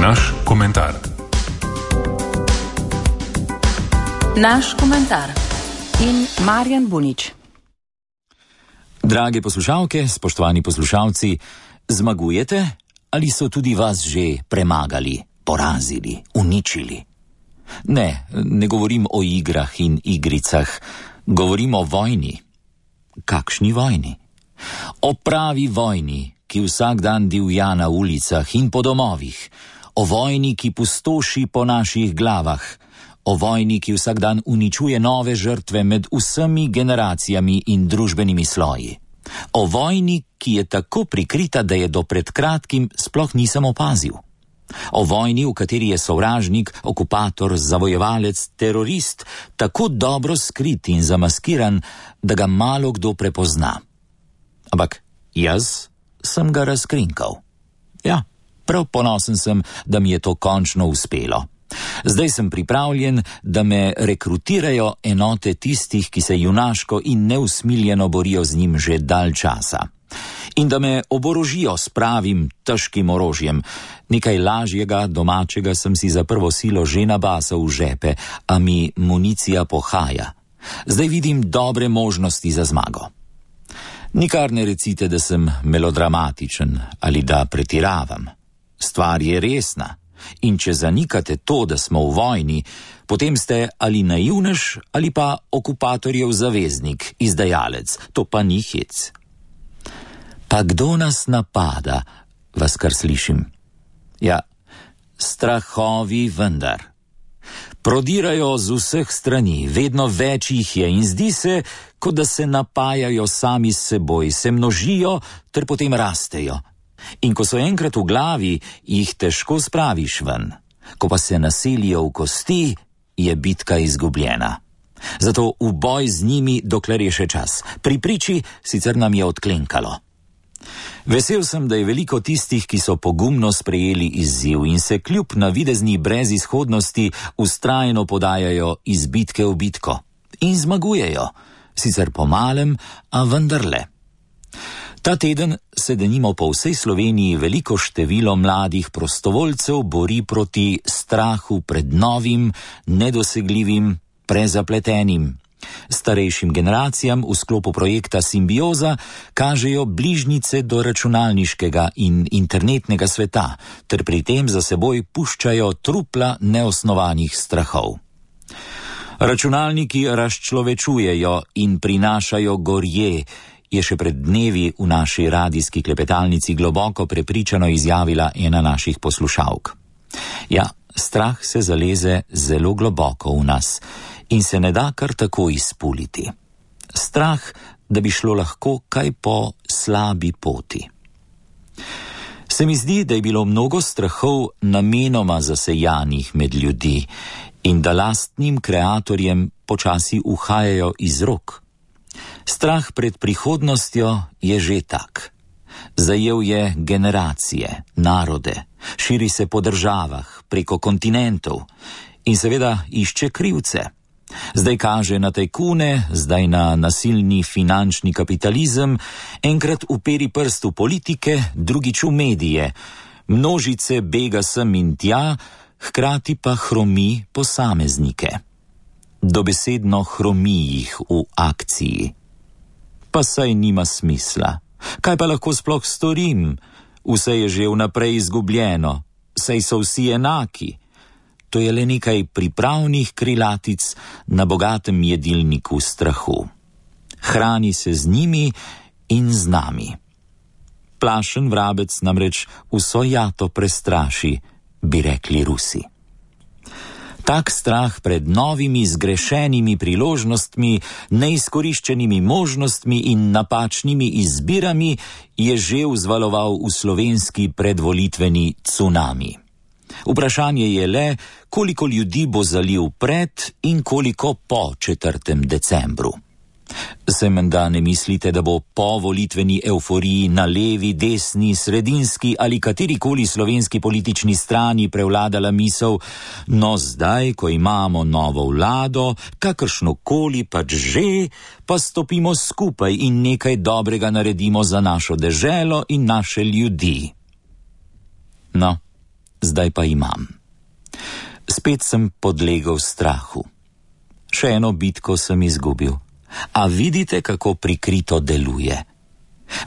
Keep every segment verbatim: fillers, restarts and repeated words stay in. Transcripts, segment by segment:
Naš komentar. Naš komentar in Marjan Bunič. Drage poslušalke, spoštovani poslušalci, zmagujete ali so tudi vas že premagali, porazili, uničili? Ne, ne govorim o igrah in igricah, govorim o vojni. Kakšni vojni? O pravi vojni, ki vsak dan divja na ulicah in po domovih, o vojni, ki pustoši po naših glavah, o vojni, ki vsak dan uničuje nove žrtve med vsemi generacijami in družbenimi sloji. O vojni, ki je tako prikrita, da je do pred kratkim sploh nisem opazil. O vojni, v kateri je sovražnik, okupator, zavojevalec, terorist tako dobro skrit in zamaskiran, da ga malo kdo prepozna. Ampak jaz sem ga razkrinkal. Ja, prav ponosen sem, da mi je to končno uspelo. Zdaj sem pripravljen, da me rekrutirajo enote tistih, ki se junaško in neusmiljeno borijo z njim že dalj časa. In da me oborožijo s pravim, težkim orožjem. Nekaj lažjega, domačega sem si za prvo silo že nabasal v žepe, a mi municija pohaja. Zdaj vidim dobre možnosti za zmago. Nikar ne recite, da sem melodramatičen ali da pretiravam. Stvar je resna. In če zanikate to, da smo v vojni, potem ste ali naivnež ali pa okupatorjev zaveznik, izdajalec. To pa ni hec. Pa kdo nas napada, vas kar slišim? Ja, strahovi vendar. Prodirajo z vseh strani, vedno več jih je in zdi se, kot da se napajajo sami s seboj, se množijo ter potem rastejo. In ko so enkrat v glavi, jih težko spraviš ven. Ko pa se naselijo v kosti, je bitka izgubljena. Zato v boj z njimi, dokler je še čas. Pri priči sicer nam je odklenkalo. Vesel sem, da je veliko tistih, ki so pogumno sprejeli izziv in se kljub navidezni brezizhodnosti vztrajno podajajo iz bitke v bitko. In zmagujejo, sicer po malem, a vendarle. Ta teden se denimo po vsej Sloveniji veliko število mladih prostovoljcev bori proti strahu pred novim, nedosegljivim, prezapletenim. Starejšim generacijam v sklopu projekta Simbioza kažejo bližnjice do računalniškega in internetnega sveta, ter pri tem za seboj puščajo trupla neosnovanih strahov. Računalniki razčlovečujejo in prinašajo gorje, je še pred dnevi v naši radijski klepetalnici globoko prepričano izjavila ena naših poslušalk. Ja, strah se zaleze zelo globoko v nas in se ne da kar tako izpuliti. Strah, da bi šlo lahko kaj po slabi poti. Se mi zdi, da je bilo mnogo strahov namenoma zasejanih med ljudi in da lastnim kreatorjem počasi uhajajo iz rok. Strah pred prihodnostjo je že tak. Zajel je generacije, narode, širi se po državah, preko kontinentov in seveda išče krivce. Zdaj kaže na tajkune, zdaj na nasilni finančni kapitalizem, enkrat uperi prst v politike, drugič v medije. Množice bega sem in tja, hkrati pa hromi posameznike. Dobesedno hromi jih v akciji. Pa saj nima smisla. Kaj pa lahko sploh storim? Vse je že vnaprej izgubljeno. Saj so vsi enaki. To je le nekaj pripravnih krilatic na bogatem jedilniku strahu. Hrani se z njimi in z nami. Plašen vrabec namreč vso jato prestraši, bi rekli Rusi. Tak strah pred novimi zgrešenimi priložnostmi, neizkoriščenimi možnostmi in napačnimi izbirami je že vzvaloval v slovenski predvolitveni cunami. Vprašanje je le, koliko ljudi bo zalil pred in koliko po četrtem decembru. Se menda ne mislite, da bo po volitveni evforiji na levi, desni, sredinski ali katerikoli slovenski politični strani prevladala misel, no zdaj, ko imamo novo vlado, kakršnokoli pač že, pa stopimo skupaj in nekaj dobrega naredimo za našo deželo in naše ljudi. No, zdaj zdaj pa imam. Spet sem podlegel strahu. Še eno bitko sem izgubil. A vidite, kako prikrito deluje?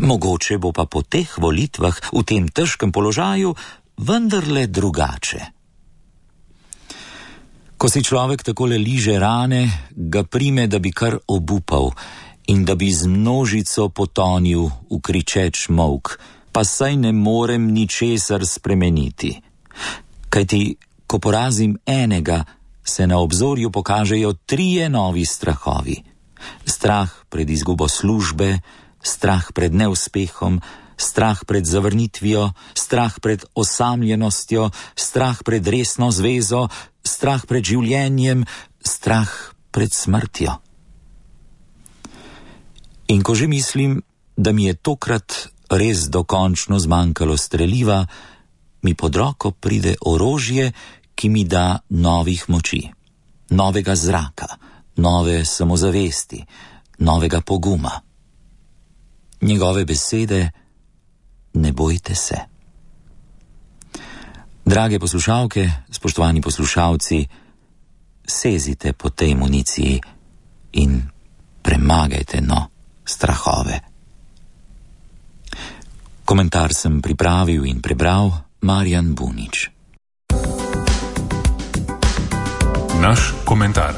Mogoče bo pa po teh volitvah v tem težkem položaju vendarle drugače. Ko si človek takole liže rane, ga prime, da bi kar obupal in da bi z množico potonil v kričeč molk, pa saj ne morem ničesar spremeniti. Kajti, ko porazim enega, se na obzorju pokažejo trije novi strahovi. Strah pred izgubo službe, strah pred neuspehom, strah pred zavrnitvijo, strah pred osamljenostjo, strah pred resno zvezo, strah pred življenjem, strah pred smrtjo. In ko že mislim, da mi je tokrat res dokončno zmanjkalo streliva, mi pod roko pride orožje, ki mi da novih moči, novega zraka, nove samozavesti, novega poguma. Njegove besede: ne bojte se. Drage poslušalke, spoštovani poslušalci, sezite po tej municiji in premagajte no strahove. Komentar sem pripravil in prebral Marjan Bunič. Naš komentar.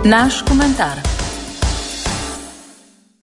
Naš komentar.